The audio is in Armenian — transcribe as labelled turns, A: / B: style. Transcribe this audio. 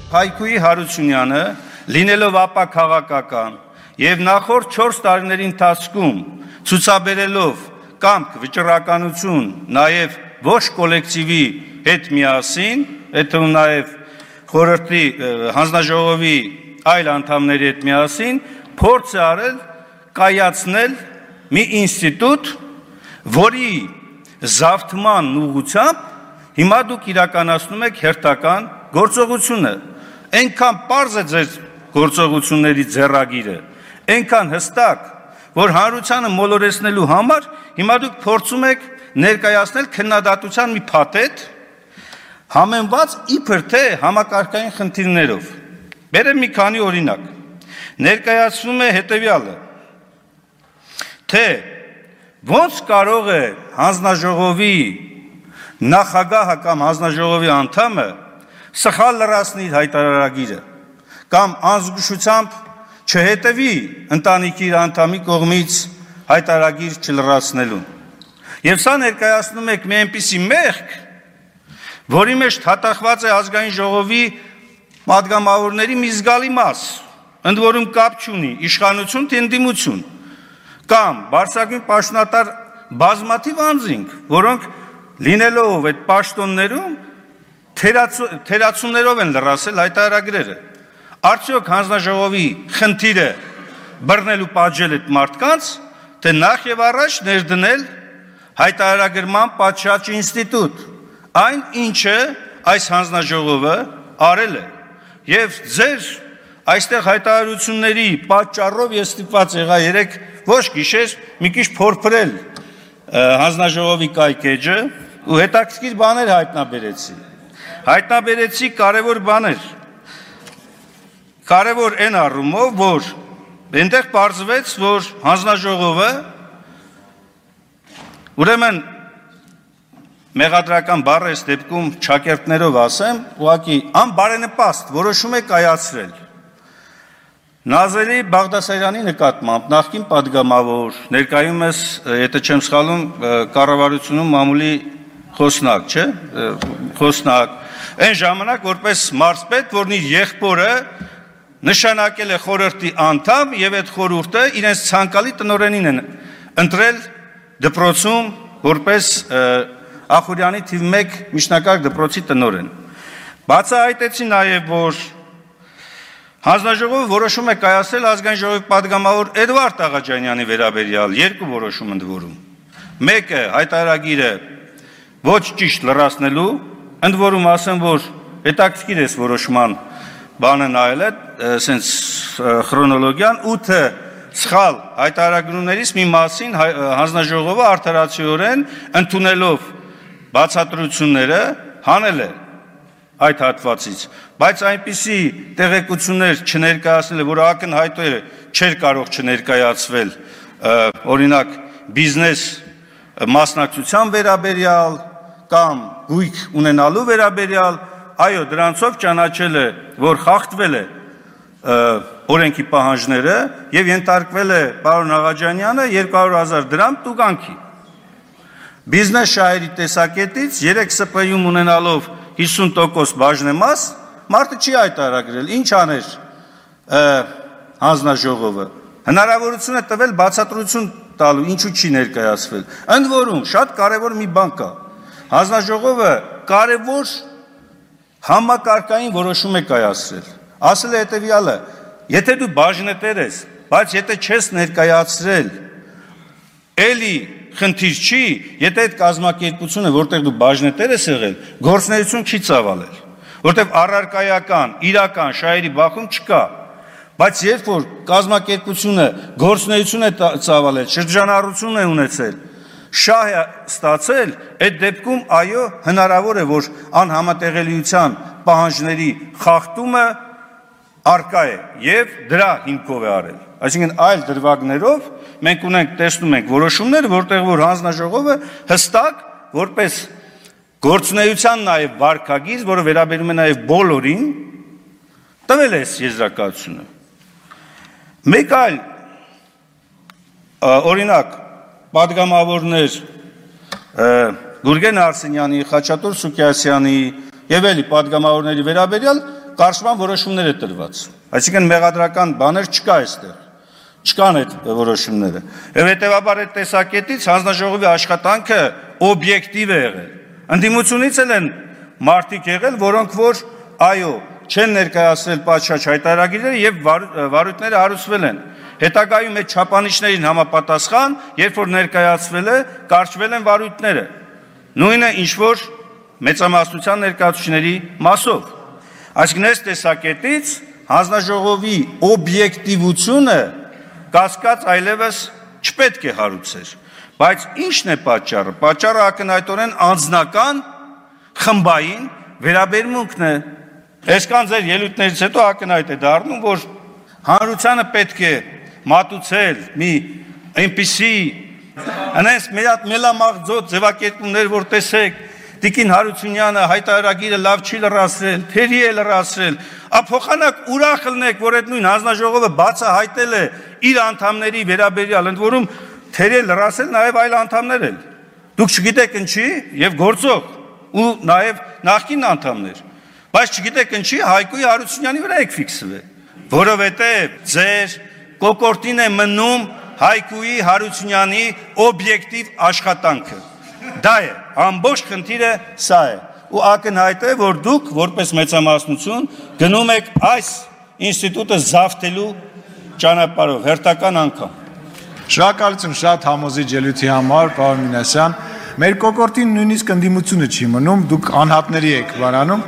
A: Փայքուի Հարությունյանը, լինելով ապա քաղաքական եւ նախորդ 4 տարիների ընթացքում ցուցաբերելով կամք վճռականություն նաեւ ոչ կոլեկտիվի հետ միասին, այդ նաեւ խորհրդի հանձնաժողովի այլ անդամների հետ միասին փորձ է արել կայացնել մի ինստիտուտ, որի զավթման ուղղությամբ հիմա դուք իրականացնում եք հերթական գործողությունը, այնքան պարզ է ձեր գործողությունների ձեռագիրը, այնքան հստակ, որ հանրությանը մոլորեցնելու համար հիմա դուք փորձում եք ներկայացնել քննադատության մի փաթեթ, համեմված իբր թե համակարգային խնդիրներով։ Բերեմ մի քանի օրինակ։ Ներկայացվում է հետևյալը, թե ոնց կարող է հանձնաժողովի նախագահը կամ հանձնաժողովի անդամը սխալ լրացնի իր հայտարարագիրը կամ անզգուշությամբ չհետևի ընտանիքի իր անդամի կողմից հայտարարագիր չլրացնելուն։ Եվ սա ներկայացնում եք մի այնպիսի մեղք, որի մեջ թաթախված է ազգային ժողովի պատգամավորների մի զգալի մաս, ընդ որում կապ չունի իշխանություն թե ընդդիմություն, կամ բարձրագույն պաշտոնատար բազմաթիվ անձինք, որոնք լինելով այդ պաշտոններում թերացումներով են լրացել հայտարարագրերը։ Արդյոք հանձնաժողովի խնդիրը բռնել ու պատժել այդ մարդկանց, թե նախ եւ առաջ ներդնել հայտարարագրման պատշաճ ինստիտուտ, այն ինչը այս հանձնաժողովը արել է։ Եվ ձեր այստեղ հայտարարությունների պատճառով ես ստիպված եղա երեք ոչ գիշեր մի քիչ փորփրել հանձնաժողովի կայքեջը ու հետաքրքիր բաներ հայտնաբերեցի կարևոր բաներ, կարևոր այն առումով, որ այնտեղ պարզվեց, որ հանձնաժողովը ուրեմն մեղադրական բառը այս դեպքում ճակերտներով ասեմ, ուղղակի անբարենպաստ որոշում է կայացրել Նազելի Բաղդասարյանի նկատմամբ նախկին պատգամավոր, ներկայումս, եթե չեմ սխալվում, կառավարությունում մամուլի խոսնակ, չէ՞, խոսնակ, այն ժամանակ որպես մարզպետ, որն իր եղբորը նշանակել է խորհրդի անդամ եւ այդ խորհուրդը իրենց ցանկալի տնօրենին են ընտրել դպրոցում որպես Ախուրյանի թիվ 1 միջնակարգ դպրոցի տնօրեն։ Բացահայտեցի նաեւ, որ հանձնաժողովը որոշում է կայացրել ազգային ժողովի պատգամավոր Էդվարդ Աղաջանյանի վերաբերյալ երկու որոշում ընդ որում։ Մեկը հայտարարագիրը ոչ ճիշտ լրացնելու, ընդ որում ասեմ, որ հետաքրքիր է որոշման բանը նայել է, ասենց քրոնոլոգիան 8 սխալ հայտարարություններից մի մասին հանձնաժողովը արդարացիորեն ընդունելով բացատրությունները հանել է այդ հատվածից, բայց այնպիսի տեղեկություններ չներկայացնել, որ ակնհայտորեն չէր կարող չներկայացվել, օրինակ բիզնես մասնակցության վերաբերյալ կամ գույք ունենալու վերաբերյալ, այո, դրանցով ճանաչել է, որ խախտվել է օրենքի պահանջները եւ ենթարկվել է պարոն Աղաջանյանը 200,000 դրամ տուգանքի։ Բիզնես շահերի տեսակետից 3 ՍՊ-ում ունենալով 50% բաժնեմաս, մարդը չի հայտարարել, ինչ աներ հանձնաժողովը։ Հնարավորություն է տվել բացատրություն տալու, ինչու չի ներկայացվել։ Ընդ որում, շատ կարևոր մի բան կա։ Հանձնաժողովը կարևոր համակարգային որոշում է կայացրել։ Ասել է հետևյալը. եթե դու բաժնետեր ես, բայց եթե չես ներկայացրել, էլի խնդիր չի, եթե այդ կազմակերպությունը, որտեղ դու բաժնետեր ես եղել, գործունեություն չի ծավալել, որտեղ առարկայական, իրական շահերի բախում չկա, բայց երբ որ կազմակերպությունը գործունեություն է ծավալել, շրջանառություն է ունեցել, շահ է ստացել, այդ դեպքում այո, հնարավոր է, որ անհամատեղելիության պահանջների խախտումը արկա է եւ դրա հիմքով է արել։ Այսինքն այլ դրվագներով մենք ունենք տեսնում ենք որոշումներ, որտեղ որ հանձնաժողովը հստակ որպես գործունեության նաեւ վարկագիծ, որը վերաբերում է նաեւ բոլորին, տվել է եզրակացությունը։ Մեկ այլ օրինակ պատգամավորներ Գուրգեն Արսենյանի, Խաչատուր Սուքիասյանի եւ էլի պատգամավորների վերաբերյալ կարճման որոշումներ է տրված։ Այսինքն մեղադրական բաներ չկա այստեղ։ Չկան այդ որոշումները։ Եվ հետևաբար այդ տեսակետից հանձնաժողովի աշխատանքը օբյեկտիվ է եղել։ Ընդդիմությունից էլ են մարդիկ եղել, որոնք որ այո, չեն ներկայացրել պատշաճ հայտարարագիրները եւ վարույթները հարուցվել են։ Հետագայում այդ չափանիշներին համապատասխան, երբ որ ներկայացվել է, կարճվել են վարույթները։ Նույնը ինչ որ մեծամասնության ներկայացուցիչների մասով։ Այսինքն այս տեսակետից հանձնաժողովի օբյեկտիվությունը կասկած այլևս չպետք է հարուցեր։ Բայց ի՞նչն է պատճառը։ Պատճառը ակնհայտորեն անձնական խմբային վերաբերմունքն է։ Այսքան ձեր ելույթներից հետո ակնհայտ է դառնում, որ հանրությանը պետք է մատուցել մի այնպիսի անես մելամաղձոտ ձևակերպումներ, որ տեսեք Տիկին Հարությունյանը հայտարարագիրը լավ չի լրացրել, թերի է լրացրել,ափոխանակ ուրախ ելնեք, որ այդ նույն հանձնաժողովը բացահայտել է իր անդամների վերաբերյալ, ընդ որում թերի է լրացել նաև այլ անդամներ են։ Դուք չգիտեք ինչի եւ գործող ու նաև նախկին անդամներ, բայց չգիտեք ինչի Հայկոյի Հարությունյանի վրա եք ֆիքսվել, որովհետեւ ձեր կոկորտին է մնում Հայկոյի Հարությունյանի օբյեկտիվ աշխատանքը։ Դա է, ամբողջ խնդիրը սա է։ Ու ակնհայտ է, որ դուք որպես մեծամասնություն գնում եք այս ինստիտուտը զավթելու ճանապարհով, հերթական անգամ։
B: Շնորհակալություն շատ համոզիչ ելույթի համար, պարոն Մինասյան։ Մեր կոկորտին նույնիսկ ընդդիմությունը չի մնում, դուք անհատների եք բանանում։